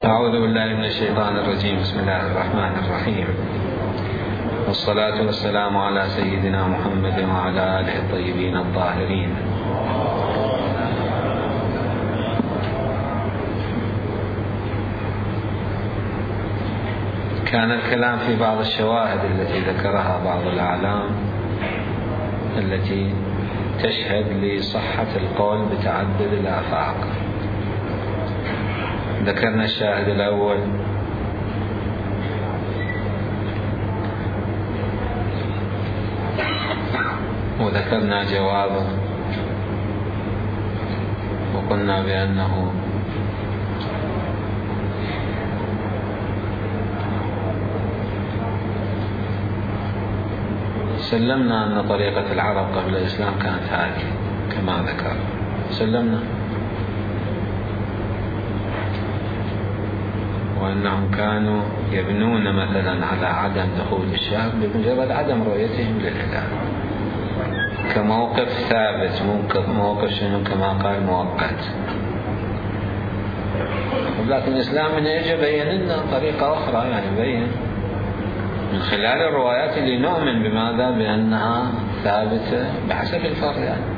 أعوذ بالله من الشيطان الرجيم. بسم الله الرحمن الرحيم، والصلاة والسلام على سيدنا محمد وعلى آله الطيبين الطاهرين. كان الكلام في بعض الشواهد التي ذكرها بعض الأعلام التي تشهد لصحة القول بتعدد الآفاق. ذكرنا الشاهد الأول وذكرنا جوابه، وقلنا بأنه سلمنا أن طريقة العرب قبل الإسلام كانت هذه كما ذكر، سلمنا، وأنهم كانوا يبنون مثلا على عدم دخول الشهر بمجرد عدم رؤيتهم للهلال كموقف ثابت، موقف شنو كما قال مؤقت. لكن الإسلام من يجي بين لنا طريقة أخرى، يعني بين من خلال الروايات اللي نؤمن بماذا؟ بأنها ثابتة بحسب الفرق، يعني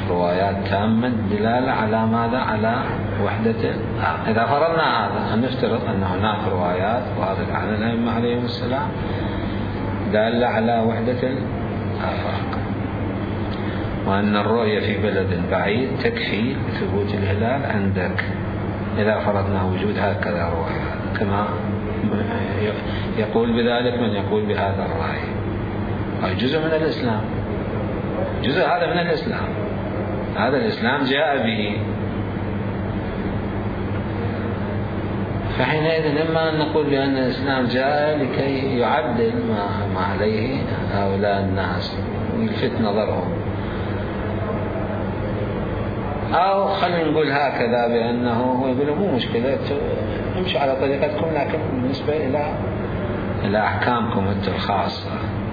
روايات تامة الدلالة على ماذا؟ على وحدة. إذا فرضنا هذا أن نفترض أن هناك روايات واردة عن الأئمة عليهم السلام دالة على وحدة الآفاق، وأن الرؤية في بلد بعيد تكفي لثبوت الهلال عندك، إذا فرضنا وجود هكذا روايات، كما يقول بذلك من يقول بهذا الرأي. أي جزء من الإسلام، جزء هذا من الإسلام، هذا الإسلام جاء به. فحينئذ إما أن نقول بأن الإسلام جاء لكي يعدل ما عليه هؤلاء الناس ويلفت نظرهم، أو خلينا نقول هكذا بأنه هو يقول مو مشكلة نمشي على طريقتكم، لكن بالنسبة إلى أحكامكم أنتم الخاصة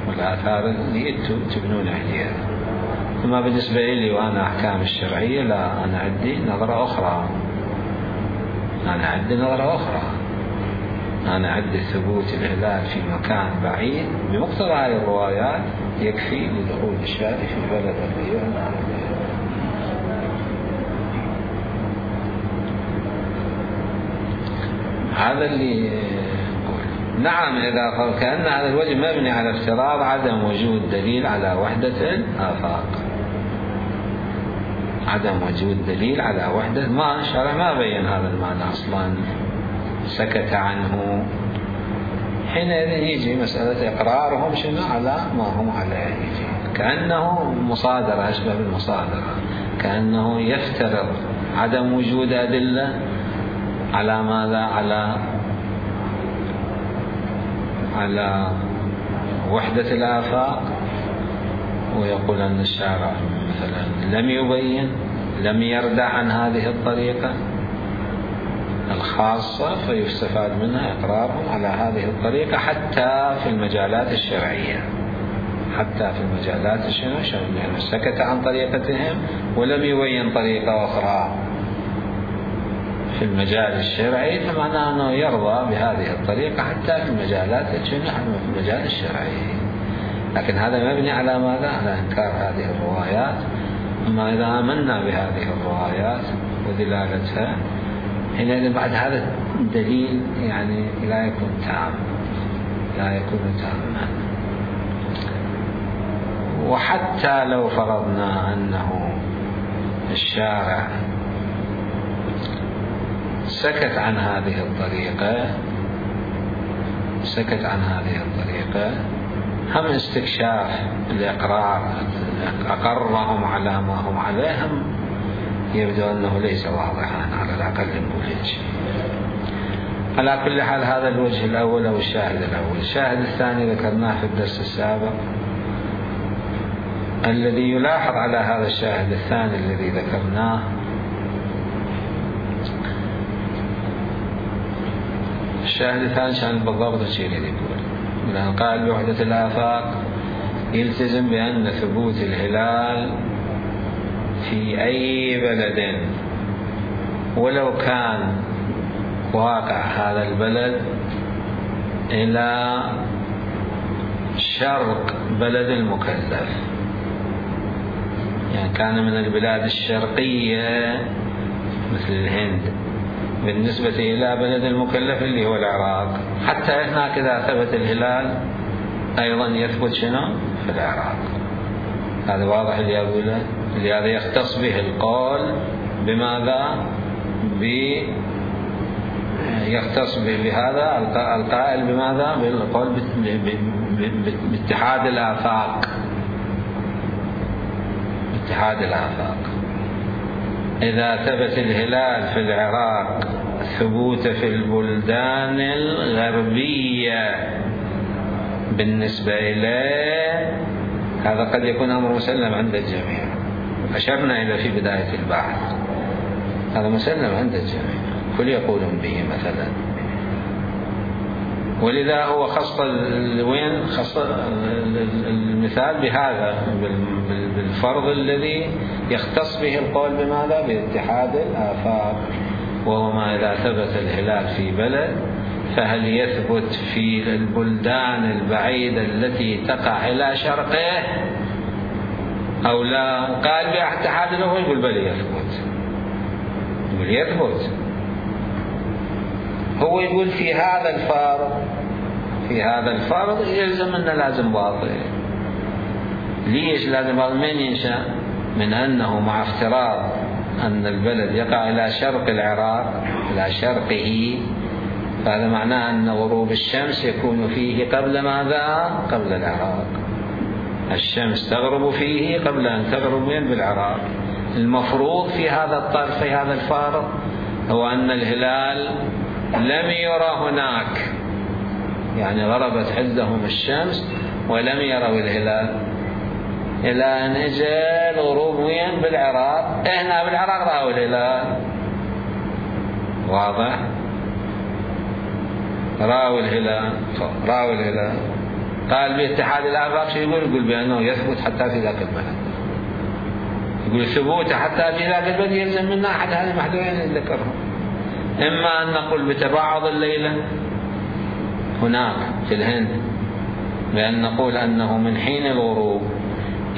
والآثار اللي أنتم تبنون عليها. أما بالنسبة لي وأنا أحكام الشرعية لا، أنا عندي نظرة أخرى، أنا عندي ثبوت الهلال في مكان بعيد بمقتضى هذه الروايات يكفي لدخول الشارع في بلد الريون. هذا اللي يقول. نعم، إذا كأن هذا الوجه مبني على افتراض عدم وجود دليل على وحدة الآفاق، عدم وجود دليل على وحدة، ما الشرع ما بين هذا المعنى أصلا، سكت عنه. حينئذ يجي مسألة إقرارهم شنو على ما هم عليه، كأنه مصادرة، أشبه بالمصادرة، كأنه يفترض عدم وجود أدلة على ماذا؟ على وحدة الآفاق، ويقول أن الشارع مثلا لم يبين، لم يردع عن هذه الطريقة الخاصة، فيستفاد منها إقرارهم على هذه الطريقة حتى في المجالات الشرعية، حتى في المجالات الشرعية، يعني سكت عن طريقتهم ولم يبين طريقة أخرى في المجال الشرعي، فمعناه أنه يرضى بهذه الطريقة حتى في المجالات في المجال الشرعي. لكن هذا مبني على ماذا؟ على إنكار هذه الروايات. أما إذا آمنا بهذه الروايات ودلالتها، حينئذ بعد هذا الدليل يعني لا يكون تاما. وحتى لو فرضنا أنه الشارع سكت عن هذه الطريقة، هم استكشاف الإقرار أقرهم على ما هم عليهم يبدو أنه ليس واضحا، على الأقل نقول هيك. على كل حال هذا الوجه الأول أو الشاهد الأول. الشاهد الثاني ذكرناه في الدرس السابق، الذي يلاحظ على هذا الشاهد الثاني الذي ذكرناه الشاهد الثاني كان بالضبط الشيء اللي يقول، لأن قال بوحدة الآفاق يلتزم بأن ثبوت الهلال في أي بلد ولو كان واقع هذا البلد إلى شرق بلد المكلف، يعني كان من البلاد الشرقية مثل الهند بالنسبة إلى بلد المكلف اللي هو العراق. حتى هناك إذا ثبت الهلال أيضا يثبت شنو في العراق. هذا واضح اللي أقوله. لهذا يختص به القول بماذا؟ يختص بهذا القائل بماذا؟ بالقول باتحاد الآفاق. اتحاد الآفاق. إذا ثبت الهلال في العراق ثبوت في البلدان الغربية بالنسبة إليه، هذا قد يكون أمر مسلم عند الجميع. أشرنا إلى في بداية البحث هذا مسلم عند الجميع، كل يقولون به مثلا. ولذا هو خص المثال بهذا بالفرض الذي يختص به القول بماذا؟ باتحاد الآفاق، وهو ما إذا ثبت الهلال في بلد فهل يثبت في البلدان البعيدة التي تقع إلى شرقه أو لا؟ قال باتحاد الآفاق، يقول بل يثبت، يقول يثبت. هو يقول في هذا الفرض يلزم أنه لازم باطل. ليش لازم باطل؟ من ينشأ من أنه مع افتراض أن البلد يقع إلى شرق العراق إلى شرقه، فهذا معناه أن غروب الشمس يكون فيه قبل ماذا؟ قبل العراق. الشمس تغرب فيه قبل أن تغرب بالعراق. المفروض في هذا الفارض هو أن الهلال لم يرى هناك، يعني غربت عندهم الشمس ولم يروا الهلال إلى أن اجى الغروب وين؟ بالعراق. هنا بالعراق رأوا الهلال. واضح؟ رأوا الهلال. قال باتحاد الآفاق شو يقول بأنه يثبت حتى في ذاك البلد. يقول ثبوته حتى في ذاك البلد يلزم منا أحد هذه المحذورين اللي ذكرهم. إما أن نقول بتباعد الليلة هناك في الهند، بأن نقول أنه من حين الغروب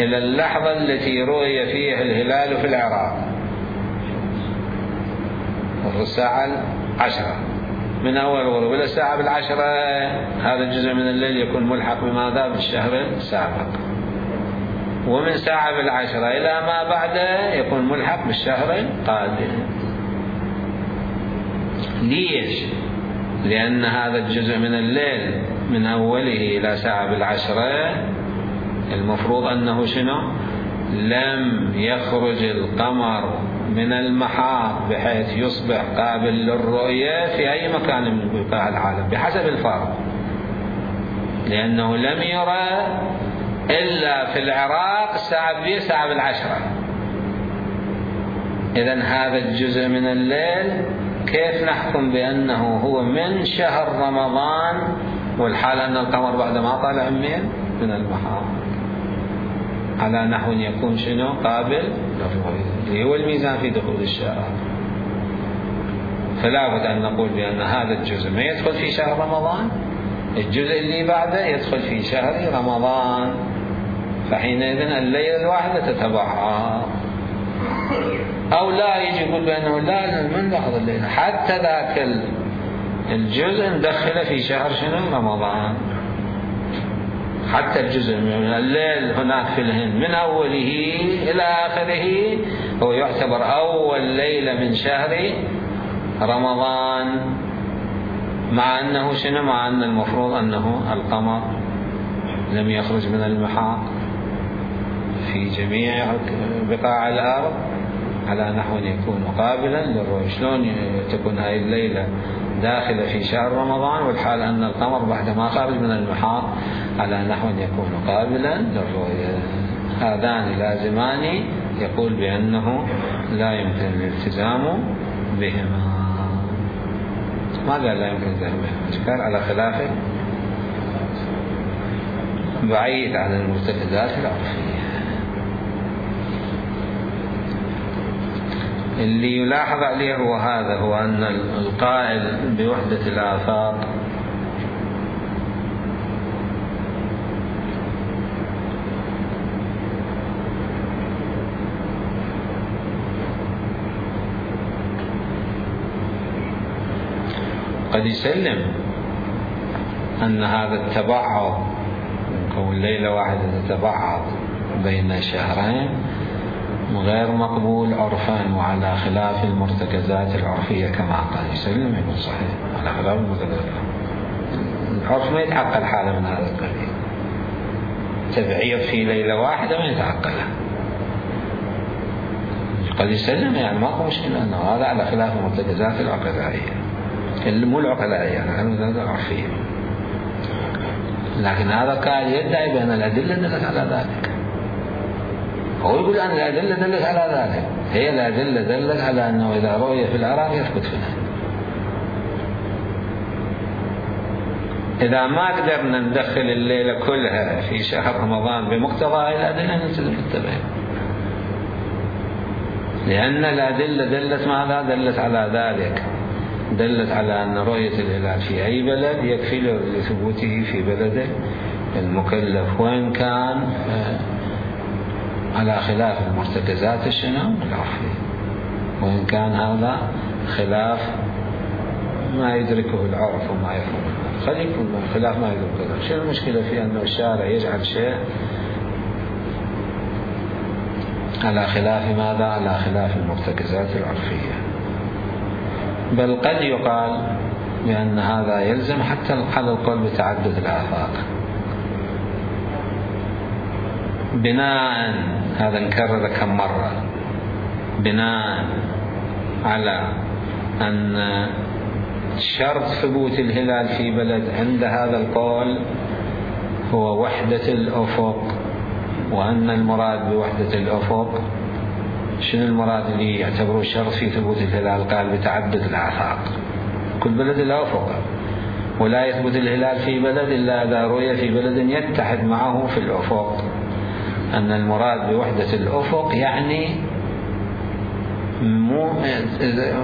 إلى اللحظة التي رؤي فيها الهلال في العراق الساعة 10، من أول الغروب إلى الساعة 10 هذا الجزء من الليل يكون ملحق بماذا؟ بالشهر السابق. ومن ساعة 10 إلى ما بعده يكون ملحق بالشهر القادم. ليش؟ لأن هذا الجزء من الليل من أوله إلى ساعة 10 المفروض أنه شنو؟ لم يخرج القمر من المحاط بحيث يصبح قابل للرؤية في أي مكان من بقاع العالم بحسب الفرض، لأنه لم يرى إلا في العراق الساعة 10. إذن هذا الجزء من الليل كيف نحكم بأنه هو من شهر رمضان والحال أن القمر بعد ما طلع من المحاط على نحو يكون شنو؟ قابل للرؤية، اللي هو الميزان في دخول الشهر. فلا بد أن نقول بأن هذا الجزء ما يدخل في شهر رمضان، الجزء اللي بعده يدخل في شهر رمضان، فحينئذ الليلة الواحدة تتبعها. أو لا يجي يقول بأنه لا من لحظة الليلة حتى ذاك الجزء ندخله في شهر شنو؟ رمضان. حتى الجزء من الليل هناك في الهند من أوله إلى آخره هو يعتبر أول ليلة من شهر رمضان، مع أنه شنو؟ مع أن المفروض أنه القمر لم يخرج من المحاط في جميع بقاع الأرض على نحو يكون قابلا للرؤية. شلون تكون هذه الليلة داخلة في شهر رمضان والحال أن القمر بعد ما خرج من المحاط على نحو يكون قابلا للرؤية؟ هذان لازمان يقول بأنه لا يمكن الالتزام بهما. ما قال لا يمكن الالتزام بهما، كان على خلافه بعيد عن المرتكزات العرفية. اللي يلاحظ عليه هو هذا، هو أن القائل بوحدة الآفاق قد يسلم أن هذا التبعض كون ليلة واحدة تتبعض بين شهرين غير مقبول عرفا وعلى خلاف المرتكزات العرفية كما قال، يسلم يقول صحيح على خلاف المرتكزات. العرف ما يتعقل حالة من هذا القبيل، تبعيض في ليلة واحدة ما يتعقلها، قد يسلم يعني ماكو مشكلة أنه هذا على خلاف المرتكزات العقلائية، مو العقلائية يعني المرتكزات العرفية. لكن هذا قال يدعي بأن الأدلة دلت على ذلك، هو يقول أن الأدلة دلت على ذلك، هي الأدلة دلت على أنه إذا رؤي في العراق يثبت في الهند. إذا ما قدرنا ندخل الليلة كلها في شهر رمضان بمقتضى الأدلة نلتزم بالتبعية، لأن الأدلة دلت ماذا؟ دلت على ذلك، دلت على أن رؤية الهلال في أي بلد يكفي لثبوته في بلده المكلف، وإن كان على خلاف المرتكزات العرفية، وإن كان هذا خلاف ما يدركه العرف وما يفهمه، قد يكون خلاف ما يدركه العرف. شو المشكلة في أن الشارع يجعل شيء على خلاف ماذا؟ على خلاف المرتكزات العرفية. بل قد يقال بأن هذا يلزم حتى على القول بتعدد الآفاق، بناء هذا نكرر كم مرة، بناء على أن شرط ثبوت الهلال في بلد عند هذا القول هو وحدة الأفق، وأن المراد بوحدة الأفق شنو المراد اللي يعتبروه شرط في ثبوت الهلال؟ قال بتعدد الآفاق، كل بلد له أفق، ولا يثبت الهلال في بلد إلا إذا رؤي في بلد يتحد معه في الأفق. أن المراد بوحدة الأفق يعني مو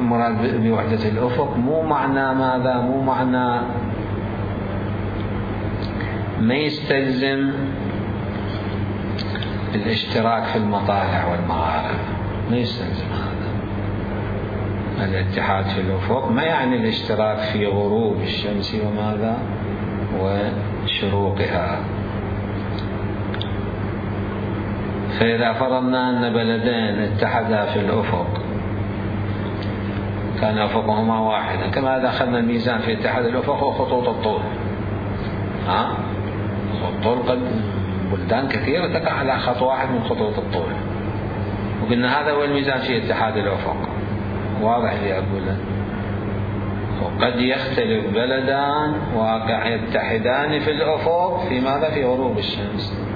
مراد بوحدة الأفق مو معنى ماذا؟ مو معنى ما يستلزم الاشتراك في المطالع والمغارب، ما يستلزم هذا. الاتحاد في الأفق ما يعني الاشتراك في غروب الشمس وماذا وشروقها. فإذا فرضنا أن بلدين اتحدا في الأفق كان أفقهما واحدا، كما إذا أخذنا الميزان في اتحاد الأفق وخطوط الطول، الطول قد بلدان كثيرة تقع على خط واحد من خطوط الطول، وقلنا هذا هو الميزان في اتحاد الأفق، واضح اللي أقوله. وقد يختلف بلدان واقع يتحدان في الأفق في ماذا؟ في غروب الشمس،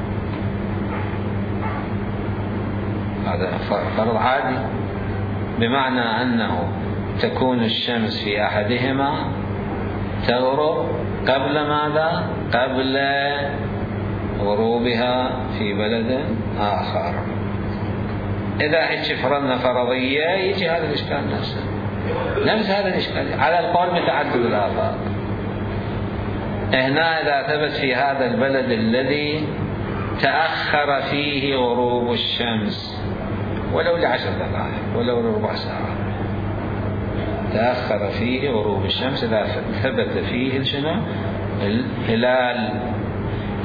هذا فرض عادي، بمعنى أنه تكون الشمس في أحدهما تغرب قبل ماذا؟ قبل غروبها في بلد آخر. إذا هيك فرضنا فرضية يجي هذا الإشكال نفس هذا الإشكال على القول بتعدد الآفاق. هنا إذا ثبت في هذا البلد الذي تأخر فيه غروب الشمس ولو ل10 دقائق ولو لربع ساعة، تأخر فيه غروب الشمس، إذا ثبت فيه الهلال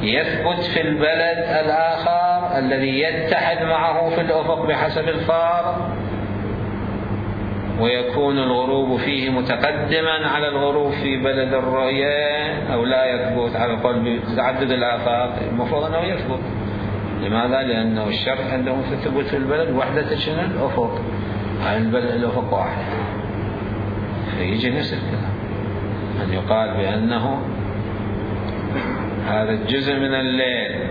يثبت في البلد الآخر الذي يتحد معه في الأفق بحسب الفار، ويكون الغروب فيه متقدما على الغروب في بلد الرؤية، أو لا يثبت على القول بتعدد الآفاق، المفروض أنه يثبت. لماذا؟ لأنه الشرط عندهم في الثبوت في البلد وحدة الأفق، البلد الأفق واحد، فيجي نفس الكلام أن يقال بأنه هذا الجزء من الليل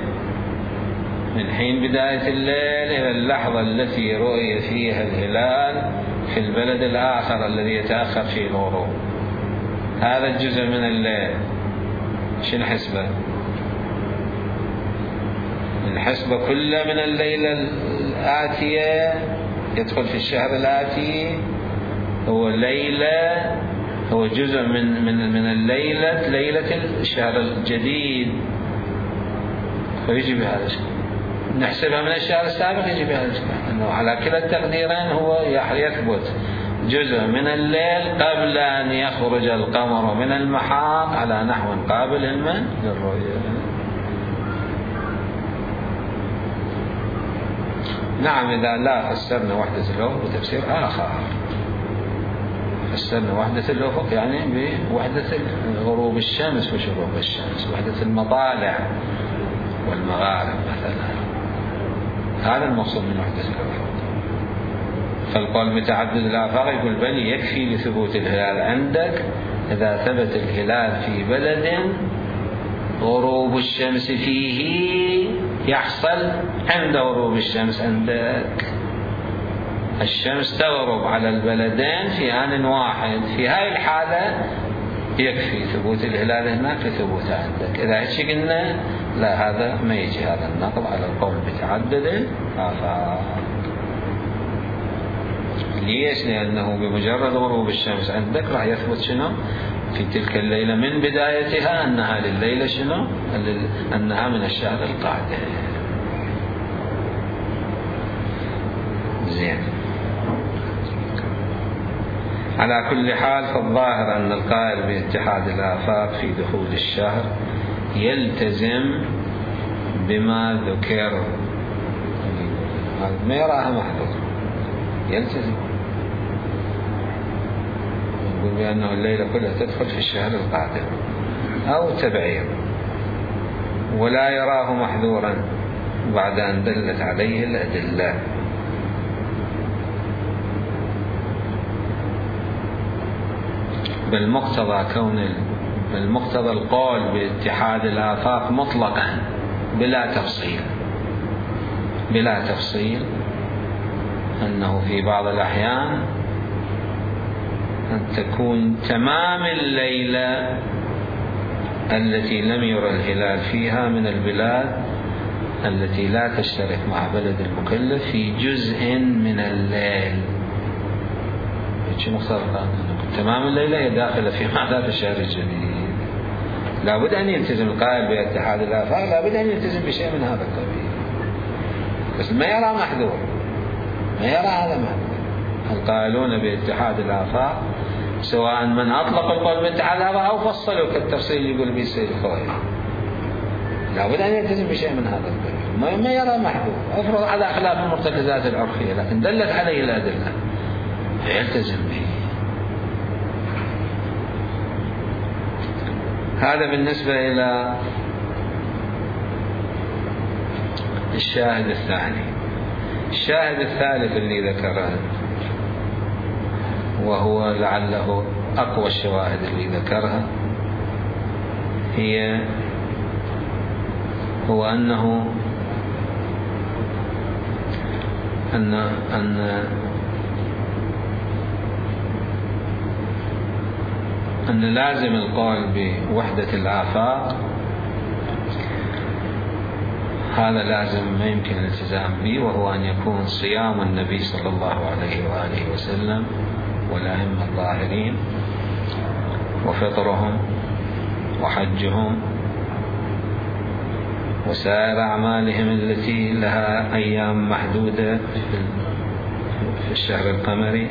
من حين بداية الليل إلى اللحظة التي رؤي فيها الهلال في البلد الآخر الذي يتأخر فيه الغروب، هذا الجزء من الليل شنو حسبه؟ الحسبة كلها من الليلة الآتية يدخل في الشهر الآتي هو ليلة، هو جزء من ليلة الشهر الجديد، فيجي بهذا الشيء. نحسبها من الشهر السابق يجي بهذا الشيء، أنه على كلا التقديرين هو يثبت جزء من الليل قبل أن يخرج القمر من المحاط على نحو قابل للرؤية. نعم، إذا لا فسرنا وحدة الأفق بتفسير آخر، فسرنا وحدة الأفق يعني بوحدة غروب الشمس وشروق الشمس، وحدة المطالع والمغارب مثلا، هذا المقصود من وحدة الأفق. فالقول بتعدد الآفاق يقول بل يكفي لثبوت الهلال عندك إذا ثبت الهلال في بلد غروب الشمس فيه يحصل عند غروب الشمس عندك، الشمس تغرب على البلدين في آن واحد، في هاي الحالة يكفي ثبوت الهلال هناك لثبوته عندك. إذا هيك قلنا لا، هذا ما يجي هذا النقض على القول بتعدد الآفاق. ليش؟ لأنه بمجرد غروب الشمس عندك راح يثبت شنو في تلك الليلة من بدايتها أنها لليلة شنو، أنها من الشهر القادم. زين، على كل حال فالظاهر أن القائل باتحاد الآفاق في دخول الشهر يلتزم بما ذكر، ما يراها محظور، يلتزم يقول بأنه الليلة كلها تدخل في الشهر القادم أو تبعير، ولا يراه محذورا بعد أن دلت عليه الأدلة. بالمقتضى القول باتحاد الآفاق مطلقا بلا تفصيل أنه في بعض الأحيان أن تكون تمام الليلة التي لم يرى الهلال فيها من البلاد التي لا تشترك مع بلد المكلف في جزء من الليل. تمام الليلة هي داخلة في معنى الشهر الجديد. لابد أن يلتزم القائل باتحاد الآفاق، لابد أن يلتزم بشيء من هذا القبيل، بس ما يرى محذور، ما يرى هذا محذور. القائلون باتحاد الآفاق سواء من أطلق القول باتحاد الآفاق أو فصلوا كالتفصيل يقول به السيد الخوئي، لابد أن يلتزم بشيء من هذا القبيل، ما يرى محذور. أفرض على خلاف المرتكزات العرفية لكن دلت عليه الأدلة يلتزم به. هذا بالنسبة إلى الشاهد الثاني. الشاهد الثالث اللي ذكره وهو لعله أقوى الشواهد اللي ذكرها هو أنه أن لازم القول بوحدة الآفاق هذا لازم ما يمكن الالتزام به، وهو أن يكون صيام النبي صلى الله عليه وآله وسلم والأئمة الظاهرين وفطرهم وحجهم وسائر أعمالهم التي لها أيام محدودة في الشهر القمري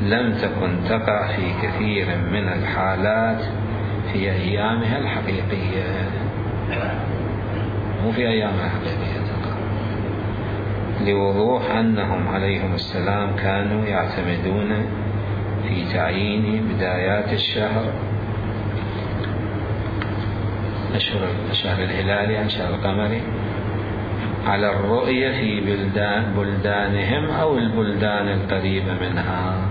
لم تكن تقع في كثير من الحالات في أيامها الحقيقية، مو في أيامها الحقيقية تقع، لوضوح أنهم عليهم السلام كانوا يعتمدون في تعيين بدايات الشهر الشهر الهلالي عن شهر القمري على الرؤية في بلدانهم أو البلدان القريبة منها،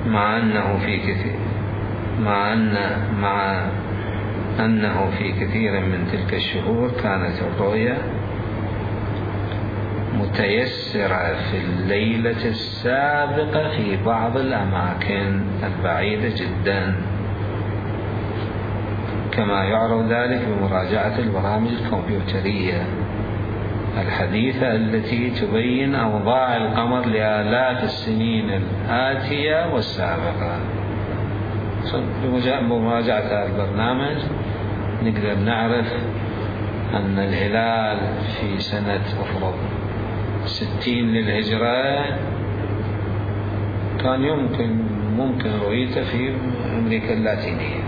مع أنه في كثير من تلك الشهور كانت الرؤية متيسرة في الليلة السابقة في بعض الأماكن البعيدة جدا، كما يعرف ذلك بمراجعة البرامج الكمبيوترية الحديثة التي تبين أوضاع القمر لآلاف السنين الآتية والسابقة. بمراجعة هذا البرنامج نقدر نعرف أن الهلال في سنة أفرض 60 للهجرة كان ممكن رؤيته في أمريكا اللاتينية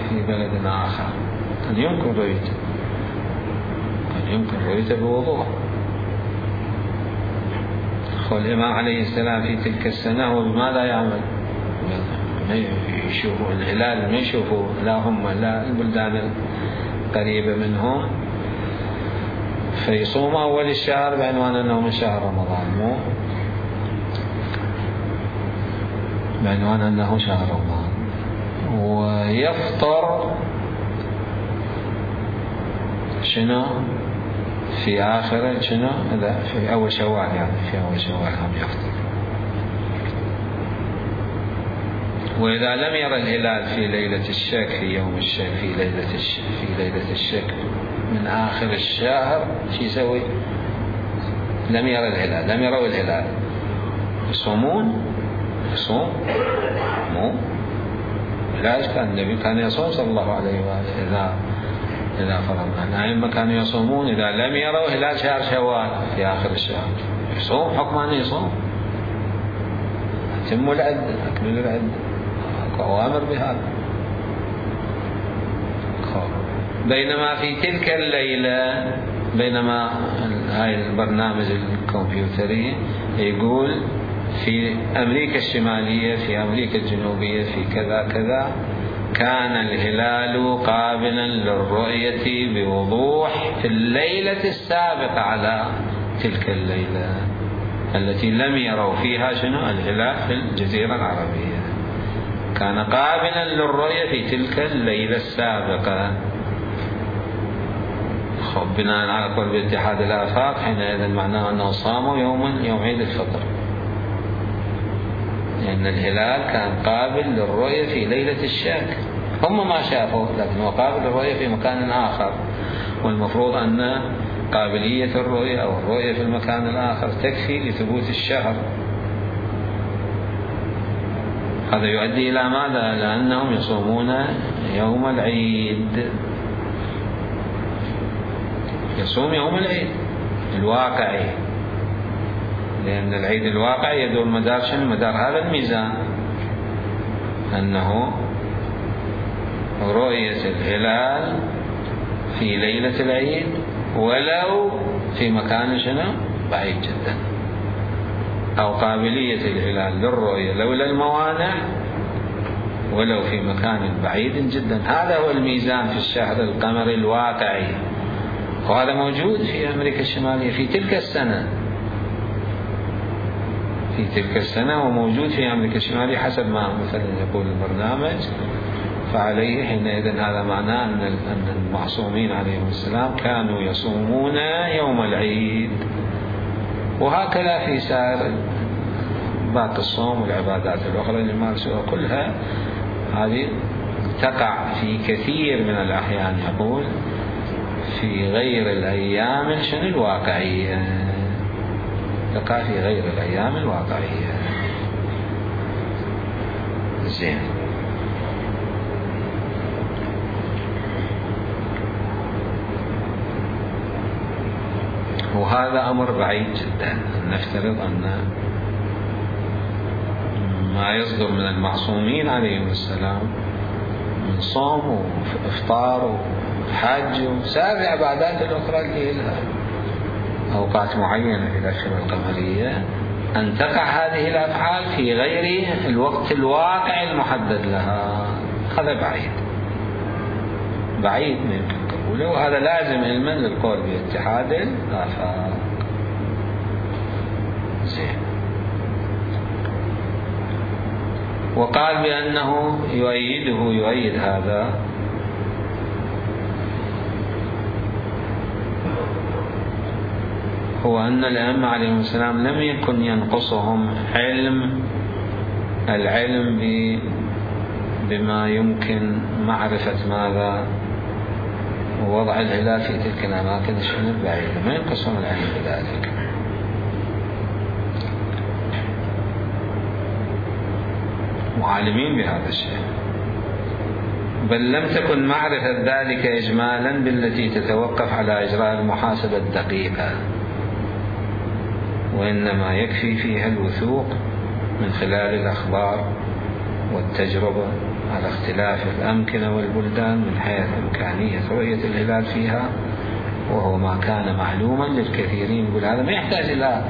في بلد آخر، كان يمكن رؤيته بوضوح. الإمام عليه السلام في تلك السنة هو بماذا يعمل؟ يشوفوا الهلال، ما يشوفوا لا هم لا البلدان القريبة منهم، فيصوم أول الشهر بعنوان أنه من شهر رمضان، مو بعنوان أنه شهر رمضان، ويفطر شنو في آخر شنو إذا في أول شوال، يعني في أول شوال هم يفطر. وإذا لم يرى الهلال في ليلة الشك، في يوم الشك، في ليلة الشك من آخر الشهر، شو يسوي؟ لم يروا الهلال، يصوم مو لا، كان النبي كان يصوم صلى الله عليه وآله إذا فرضنا الأئمة كانوا يصومون إذا لم يروا هلال شهر شوال في آخر الشهر، يصوم حكم أنه يصوم، أتموا العدة، أكمل العدة، أوامر بهذا. بينما في تلك الليلة، بينما هاي البرنامج الكمبيوتري يقول في أمريكا الشمالية، في أمريكا الجنوبية، في كذا كذا، كان الهلال قابلا للرؤية بوضوح في الليلة السابقة على تلك الليلة التي لم يروا فيها شنو الهلال في الجزيرة العربية، كان قابلا للرؤية في تلك الليلة السابقة. بناء على قول باتحاد الآفاق حينئذ معناه أنه صاموا يوم عيد الفطر، لأن الهلال كان قابل للرؤية في ليلة الشك، هم ما شافوا لكن هو قابل للرؤية في مكان آخر، والمفروض أن قابلية الرؤية أو الرؤية في المكان الآخر تكفي لثبوت الشهر. هذا يؤدي إلى ماذا؟ لأنهم يصومون يوم العيد، يصوم يوم العيد الواقعي، لأن العيد الواقعي يدور مدار شنو؟ مدار هذا الميزان، أنه رؤية الهلال في ليلة العيد ولو في مكان شنو؟ بعيد جدا، أو قابلية الهلال للرؤية لولا الموانع ولو في مكان بعيد جدا. هذا هو الميزان في الشهر القمري الواقعي، وهذا موجود في أمريكا الشمالية في تلك السنة وموجود في أمريكا الشمالية حسب ما مثلا يقول البرنامج. فعليه حينئذ هذا معناه أن المعصومين عليهم السلام كانوا يصومون يوم العيد، وهكذا في سائر باقي الصوم والعبادات الأخرى اللي يمارسوها كلها، هذه تقع في كثير من الأحيان يقول في غير الأيام شنو الواقعية، تقع في غير الأيام الواقعية. زين، وهذا أمر بعيد جدا. نفترض أن ما يصدر من المعصومين عليهم السلام من صوم وإفطار وحج وسائر العبادات الأخرى اللي لها أوقات معينة في الأشهر القمرية، أن تقع هذه الأفعال في غير الوقت الواقع المحدد لها. هذا بعيد من قبوله، وهذا لازم علما للقول باتحاد الآفاق. زين، وقال بأنه يؤيد هذا هو أن الأئمة عليهم السلام لم يكن ينقصهم العلم بما يمكن معرفة ماذا وضع الهلال في تلك الأماكن البعيدة، ما ينقصهم العلم بذلك. وعالمين بهذا الشيء. بل لم تكن معرفة ذلك إجمالا بالتي تتوقف على إجراء المحاسبة الدقيقة، وإنما يكفي فيها الوثوق من خلال الأخبار والتجربة على اختلاف الأمكنة والبلدان من حيث إمكانية رؤية الهلال فيها، وهو ما كان معلوما للكثيرين. يقول هذا ما يحتاج إلى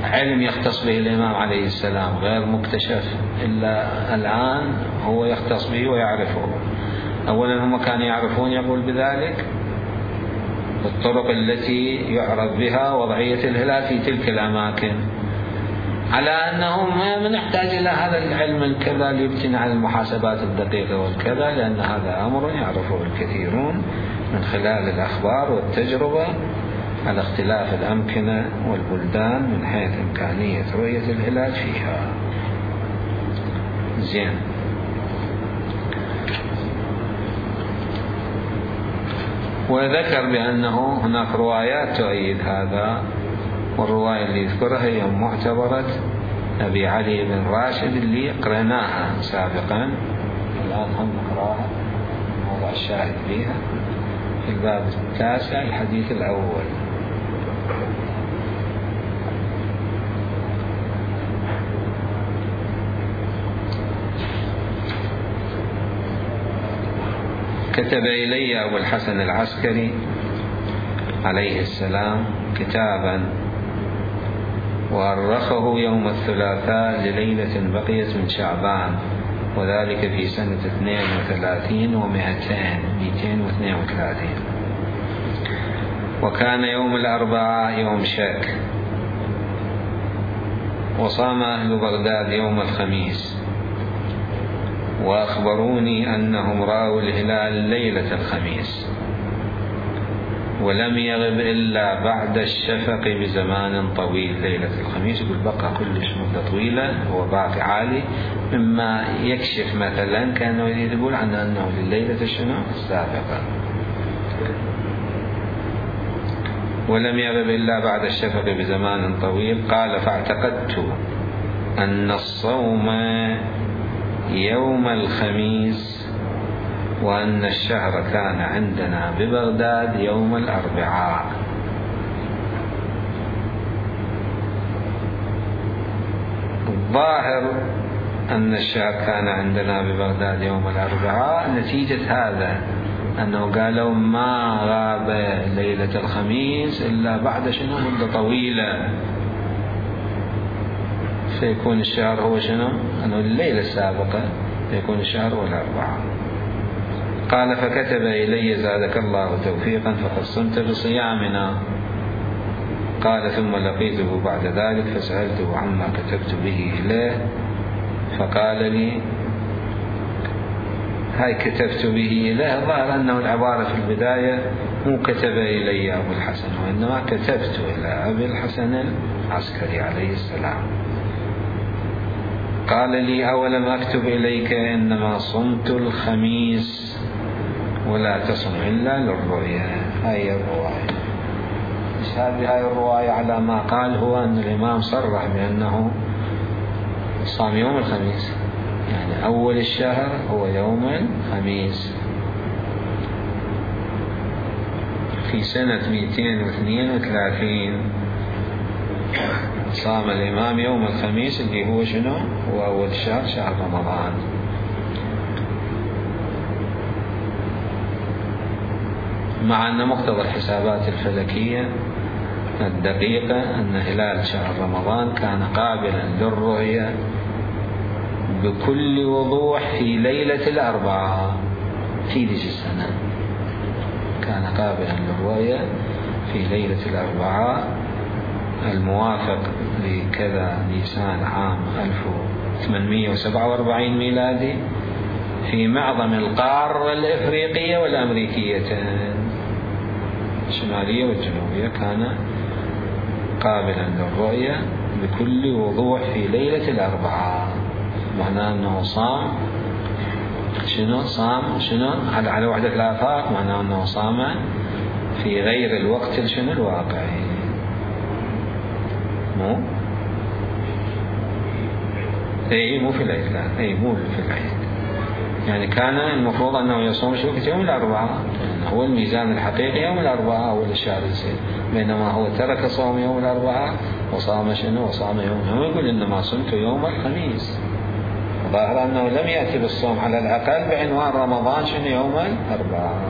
علم يختص به الإمام عليه السلام، غير مكتشف إلا الآن هو يختص به ويعرفه. أولا هم كانوا يعرفون، يقول بذلك، الطرق التي يعرف بها وضعية الهلال في تلك الأماكن، على أنهم ما نحتاج إلى هذا العلم الكذا ليبتني على المحاسبات الدقيقة والكذا، لأن هذا أمر يعرفه الكثيرون من خلال الأخبار والتجربة على اختلاف الأمكنة والبلدان من حيث إمكانية رؤية الهلال فيها. زين. وذكر بأنه هناك روايات تؤيد هذا، والرواية اللي يذكرها هي معتبرة أبي علي بن راشد اللي قرأناها سابقا، الآن هم نقرأها موضع الشاهد فيها في الباب 9 الحديث الأول. كتب إلي أبو الحسن العسكري عليه السلام كتابا وأرخه يوم الثلاثاء لليلة بقيت من شعبان، وذلك في سنة 32 و232، وكان يوم الأربعاء يوم شك، وصام أهل بغداد يوم الخميس، وأخبروني أنهم رأوا الهلال ليلة الخميس، ولم يغب إلا بعد الشفق بزمان طويل. ليلة الخميس يقول بقى كلش مدة طويلة، هو باقي عالي، مما يكشف مثلا كأنه يقول عنه أنه لليلة السابقة. ولم يغب إلا بعد الشفق بزمان طويل. قال فاعتقدت أن الصوم يوم الخميس، وأن الشهر كان عندنا ببغداد يوم الأربعاء. الظاهر أن الشهر كان عندنا ببغداد يوم الأربعاء نتيجة هذا، أنه قالوا ما غاب ليلة الخميس إلا بعد مدة طويلة، فيكون الشهر هو أنه الليلة السابقة فيكون الشهر هو الأربعاء. قال فكتب إلي زادك الله توفيقا فقد صمت بصيامنا. قال ثم لقيته بعد ذلك فسألته عما كتبت به إليه، فقال لي هاي كتبت به إليه. ظهر أنه العبارة في البداية مو كتب إلي أبو الحسن، وإنما كتبت إلى أبي الحسن العسكري عليه السلام. قال لي أولم أكتب إليك إنما صمت الخميس ولا تصم إلا للرؤيا. هاي الرواية. هذه الرواية على ما قال هو أن الإمام صرح بأنه صام يوم الخميس، يعني أول الشهر هو يوم الخميس في سنة 232. صام الإمام يوم الخميس اللي هو هو أول شهر، شهر رمضان. مع أن مقتضى الحسابات الفلكية الدقيقة أن هلال شهر رمضان كان قابلا للرؤية بكل وضوح في ليلة الأربعاء في ذي السنة، كان قابلا للرؤية في ليلة الأربعاء الموافق لكذا نيسان عام 1847 ميلادي في معظم القارة الإفريقية والأمريكيتين الشمالية والجنوبية، كان قابلا للرؤية بكل وضوح في ليلة الأربعاء. معناه أنه صام صام على وحدة الآفاق، معناه أنه صام في غير الوقت شنو الواقعي، مو مو في العيد، لا مو في العيد. يعني كان المفروض أنه يصوم شوكة يوم الأربعاء، يعني هو الميزان الحقيقي يوم الأربعاء أول الشهر يصير، بينما هو ترك صوم يوم الأربعاء وصام شنو؟ وصام يوم، يقول إنما صمت يوم الخميس، ظاهر أنه لم يأتي بالصوم على الأقل بعنوان رمضان شنو يوم الأربعاء،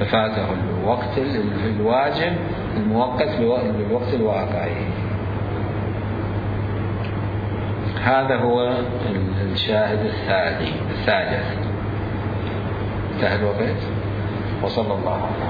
ففاته الوقت الواجب المؤقت بالوقت الواقعي. هذا هو الشاهد الثالث. انتهى الوقت، وصلى الله عليه وسلم.